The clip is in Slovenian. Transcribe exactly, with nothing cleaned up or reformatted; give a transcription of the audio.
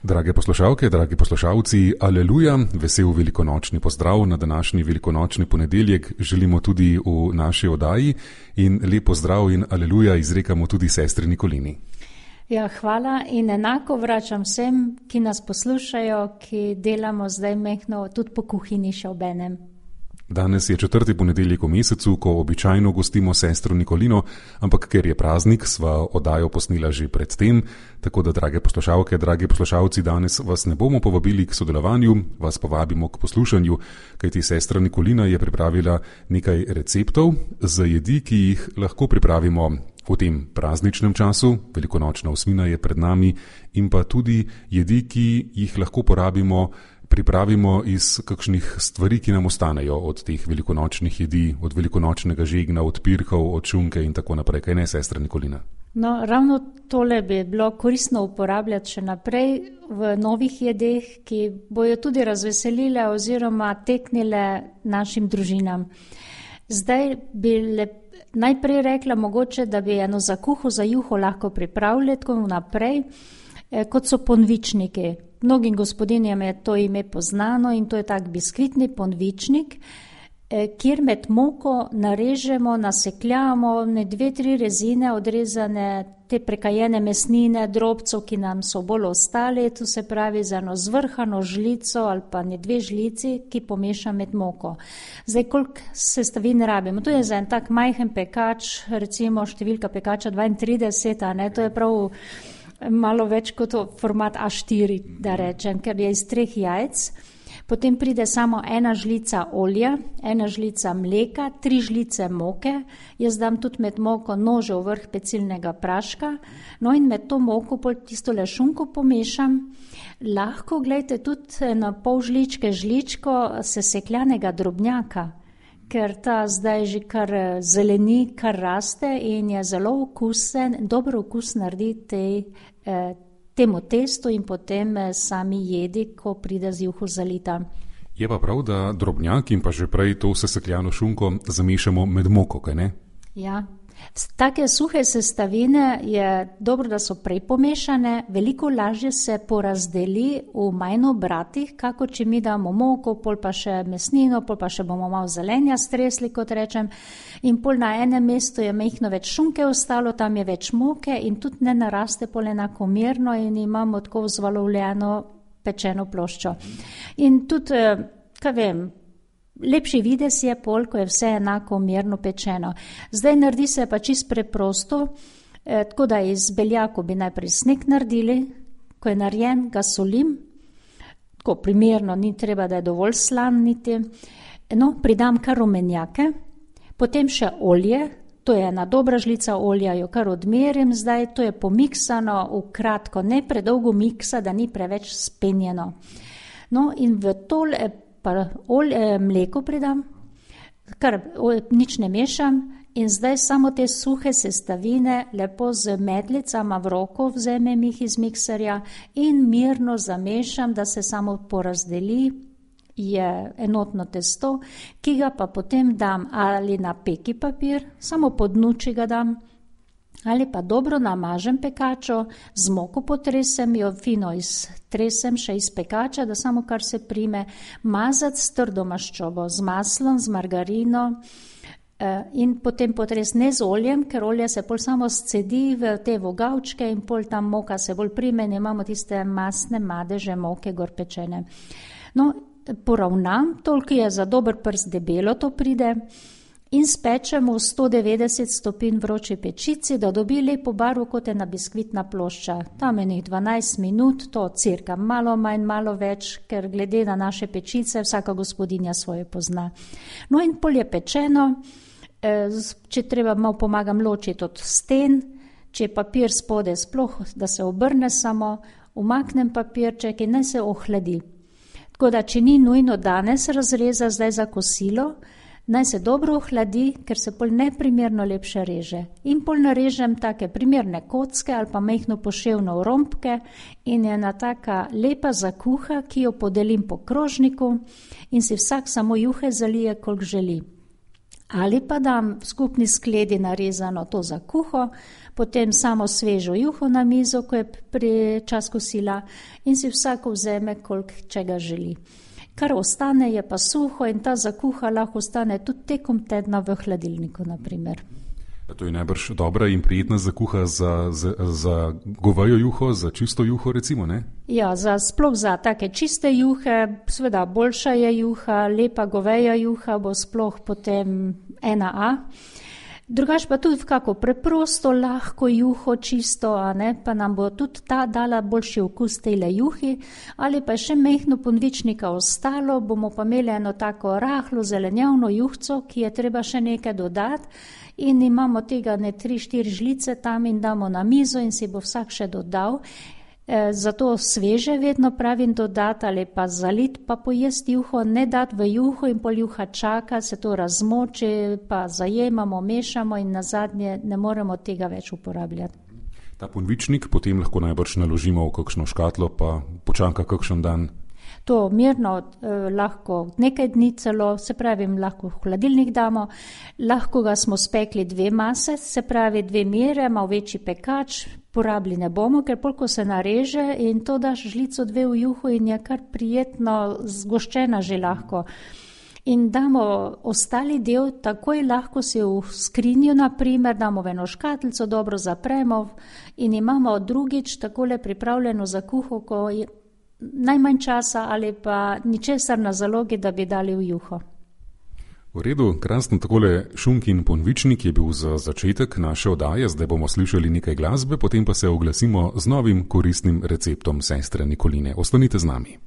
Drage poslušalke, dragi poslušalci, aleluja, vesel velikonočni pozdrav na današnji velikonočni ponedeljek želimo tudi v naši oddaji in lep pozdrav in aleluja izrekamo tudi sestri Nikolini. Ja, hvala in enako vračam vsem, ki nas poslušajo, ki delamo zdaj mehno tudi po kuhinji še obenem. Danes je četrti ponedeljek v mesecu, ko običajno gostimo sestro Nikolino, ampak ker je praznik, sva oddajo posnela že pred tem, tako da, drage poslušalke, dragi poslušalci, danes vas ne bomo povabili k sodelovanju, vas povabimo k poslušanju, kajti sestra Nikolina je pripravila nekaj receptov za jedi, ki jih lahko pripravimo v tem prazničnem času, velikonočna osmina je pred nami, in pa tudi jedi, ki jih lahko porabimo, pripravimo iz kakšnih stvari, ki nam ostanejo od teh velikonočnih jedi, od velikonočnega žegna, od pirkov, od šunke in tako naprej. Kaj ne, sestra Nikolina? No, ravno tole bi bilo koristno uporabljati še naprej v novih jedeh, ki bojo tudi razveselile oziroma teknile našim družinam. Zdaj bi le, najprej rekla mogoče, da bi eno za kuho, za juho lahko pripravili tako naprej, eh, kot so ponvičniki. Mnogim gospodinjem je to ime poznano in to je tak biskvitni ponvičnik, eh, kjer med moko narežemo, nasekljamo ne dve, tri rezine odrezane, te prekajene mesnine, drobcev, ki nam so bolj ostali, to se pravi za eno zvrhano žlico ali pa ne dve žlici, ki pomeša med moko. Zdaj, koliko sestavin rabimo? To je za en tak majhen pekač, recimo številka pekača dvaintrideset, a ne, to je prav malo več kot format A štiri, da rečem, ker je iz treh jajc. Potem pride samo ena žlica olja, ena žlica mleka, tri žlice moke. Jaz dam tudi med moko nožev vrh pecilnega praška. No in med to moko pol tisto šunko pomešam. Lahko, gledajte, tudi na pol žličke žličko sesekljanega drobnjaka, ker ta zdaj že kar zeleni, kar raste in je zelo okusen, dobro okus naredi tej, eh, temu testu in potem eh, sami jedi, ko pride z juho zalita. Je pa prav, da drobnjak in pa že prej to sesekljano šunko zamešamo med moko, kaj ne? Ja. Take suhe sestavine je dobro, da so prej pomešane, veliko lažje se porazdeli v manj obratih, kako če mi damo moko, pol pa še mesnino, pol pa še bomo malo zelenja stresli, kot rečem, in pol na enem mestu je mehno več šunke ostalo, tam je več moke in tudi ne naraste pol enakomerno in imamo tako vzvalovljeno pečeno ploščo. In tudi, kaj vem, lepši videz je pol, ko je vse enako merno pečeno. Zdaj naredi se pa čisto preprosto, eh, tako da iz beljako bi najprej sneg naredili, ko je narejen, ga solim, tako primerno, ni treba, da je dovolj slan niti. No, pridam kar rumenjake, potem še olje, to je ena dobra žlica olja, jo kar odmerim zdaj, to je pomiksano v kratko, ne predolgo miksa, da ni preveč spenjeno. No in v tole pa olje, mleko pridam, kar nič ne mešam in zdaj samo te suhe sestavine lepo z medlicama v roko vzemem jih iz mikserja in mirno zamešam, da se samo porazdeli, je enotno testo, ki ga pa potem dam ali na peki papir, samo po dnuči ga dam, ali pa dobro namažem pekačo, z moko potresem jo, fino iztresem še iz pekača, da samo kar se prime, mazati s trdo maščobo, z maslom, z margarino eh, in potem potres ne z oljem, ker olje se pol samo scedi v te vogavčke in pol tam moka se bolj prime in imamo tiste masne madeže moke gor pečene. No, poravnam, toliko je za dober prst debelo to pride, in spečemo v sto devetdeset stopinj vroči pečici, da dobi lepo barvo kot ena biskvitna plošča. Tam je nekaj dvanajst minut, to cirka malo manj, malo več, ker glede na naše pečice vsaka gospodinja svoje pozna. No in pol je pečeno, če treba malo pomagam ločiti od sten, če je papir spode sploh, da se obrne samo, umaknem papirček in naj se ohladi. Tako da, če ni nujno danes razreza zdaj za kosilo, naj se dobro ohladi, ker se pol neprimerno lepše reže. In pol narežem take primerne kocke ali pa mehno poševno rompke in je ena taka lepa zakuha, ki jo podelim po krožniku in si vsak samo juhe zalije, koliko želi. Ali pa dam v skupni skledi narezano to za kuho, potem samo svežo juho na mizo, ko je pri čas kosila in si vsako vzeme, koliko čega želi. Kar ostane je pa suho in ta zakuha lahko ostane tudi tekom tedna v hladilniku, naprimer. To je najbrž dobra in prijetna zakuha za, za, za govejo juho, za čisto juho recimo, ne? Ja, za, sploh za take čiste juhe, seveda boljša je juha, lepa goveja juha bo sploh potem ena A. Drugač pa tudi v kako preprosto, lahko juho čisto, a ne, pa nam bo tudi ta dala boljši okus tejle juhi, ali pa še mehno ponvičnika ostalo, bomo pa imeli eno tako rahlo zelenjavno juhco, ki je treba še nekaj dodati in imamo tega ne tri, štiri žlice tam in damo na mizo in si bo vsak še dodal. E, zato sveže vedno pravim dodati ali pa zalit, pa pojesti juho, ne dati v juho in pol juha čaka, se to razmoči, pa zajemamo, mešamo in nazadnje ne moremo tega več uporabljati. Ta ponvičnik potem lahko najbrž naložimo v kakšno škatlo, pa počaka kakšen dan. To mirno eh, lahko nekaj dni celo, se pravi, lahko v hladilnik damo, lahko ga smo spekli dve mase, se pravi dve mere, malo večji pekač, porabili ne bomo, ker polko se nareže in to daš žlico dve v juho in je kar prijetno zgoščena že lahko. In damo ostali del, takoj lahko si v skrinjo, naprimer, damo v eno škatlico, dobro zapremo in imamo drugič takole pripravljeno za kuho, ko je najmanj časa ali pa ničesar na zalogi, da bi dali v juho. V redu, krasno, takole šunkin ponvičnik je bil za začetek naše oddaje, zdaj bomo slišali nekaj glasbe, potem pa se oglasimo z novim koristnim receptom sestre Nikoline. Ostanite z nami.